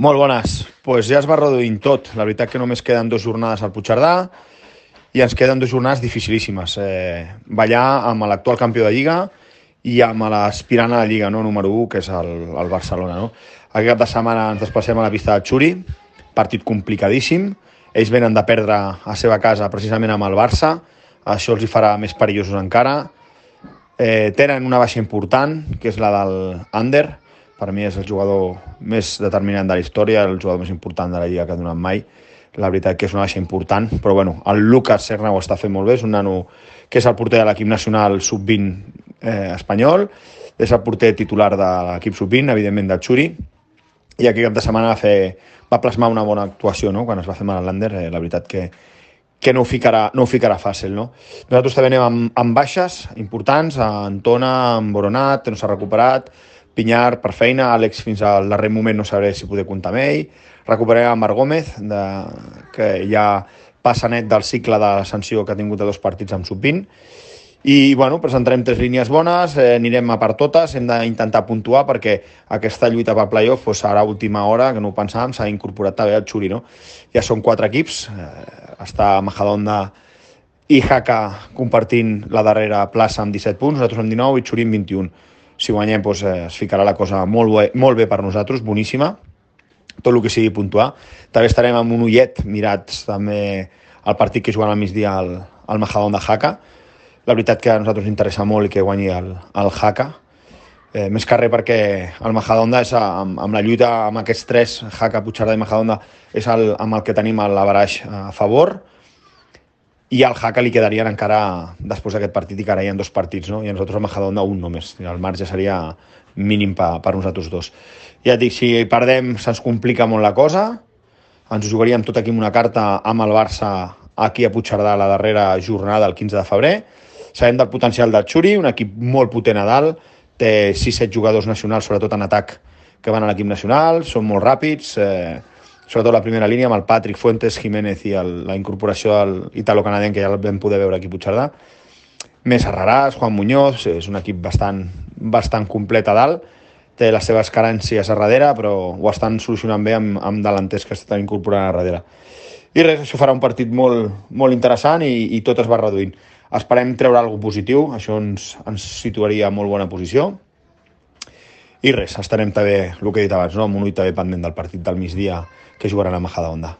Molt bones. Pues ja es va reduint tot. La veritat que només queden 2 jornades al Puigcerdà i ens queden 2 jornades dificilíssimes. Ballar amb l'actual campió de Lliga i amb l'aspirant a la Lliga, no? Número 1, que és el Barcelona. No? Aquest cap de setmana ens desplacem a la pista de Xuri, partit complicadíssim. Ells venen de perdre a la seva casa precisament amb el Barça. Això els hi farà més perillosos encara. Tenen una baixa important, que és la del Ander. Per mi és el jugador més determinant de la història, el jugador més important de la Lliga que ha donat mai. La veritat que és una baixa important, però bueno, el Lucas Serna ho està fent molt bé, és un nano que és el porter de l'equip nacional sub-20 espanyol, és el porter titular de l'equip sub-20, evidentment del Xuri, i aquest cap de setmana va plasmar una bona actuació, no? Quan es va fer mal a l'Ander, la veritat que no ho ficarà fàcil, no? Nosaltres també anem amb baixes importants, Antona, amb Boronat, no s'ha recuperat, Pinyar per feina, Àlex fins al darrer moment no sabré si poder comptar amb ell, recuperarem a Marc Gómez, que ja passa net del cicle de sanció que ha tingut de 2 partits amb sub-20, i bueno, presentarem 3 línies bones, anirem a per totes, hem d'intentar puntuar perquè aquesta lluita per playoff serà a última hora, que no ho pensàvem, s'ha incorporat també el Xuri, no? Ja són 4 equips, està Majadahonda i Jaca compartint la darrera plaça amb 17 punts, nosaltres amb 19 i Xuri amb 21. Si guanyem es ficarà la cosa molt bé per nosaltres, boníssima, tot el que sigui puntuar. També estarem amb un ullet mirats també el partit que juguen al migdia al Majadahonda Jaca. La veritat que a nosaltres ens interessa molt que guanyi el Jaca, més que res perquè el Majadahonda és amb la lluita amb aquests 3, Jaca, Puigcerdà i Majadahonda, és amb el que tenim l'averaix a favor, i al Jaca li quedarien encara, després d'aquest partit, i que ara hi ha 2 partits, no? I a nosaltres a Majadahonda un només. El marge seria mínim per nosaltres 2. Ja et dic, si perdem se'ns complica molt la cosa, ens jugaríem tot aquí amb una carta amb el Barça aquí a Puigcerdà la darrera jornada, el 15 de febrer. Sabem del potencial del Xuri, un equip molt potent a dalt, té 6-7 jugadors nacionals, sobretot en atac, que van a l'equip nacional, són molt ràpids, sobretot la primera línia amb el Patrick Fuentes, Jiménez i la incorporació del italo-canadenc, que ja el vam poder veure aquí a Puigcerdà. Més Arraràs, Juan Muñoz, és un equip bastant complet a dalt, té les seves carències a darrere, però ho estan solucionant bé amb delanters que estan incorporant a darrere. I res, això farà un partit molt interessant i tot es va reduint. Esperem treure alguna cosa positiu, això ens situaria a molt bona posició. I res, estarem també, el que he dit abans, no? Amb un ull també pendent del partit del migdia que jugaran a Majadahonda.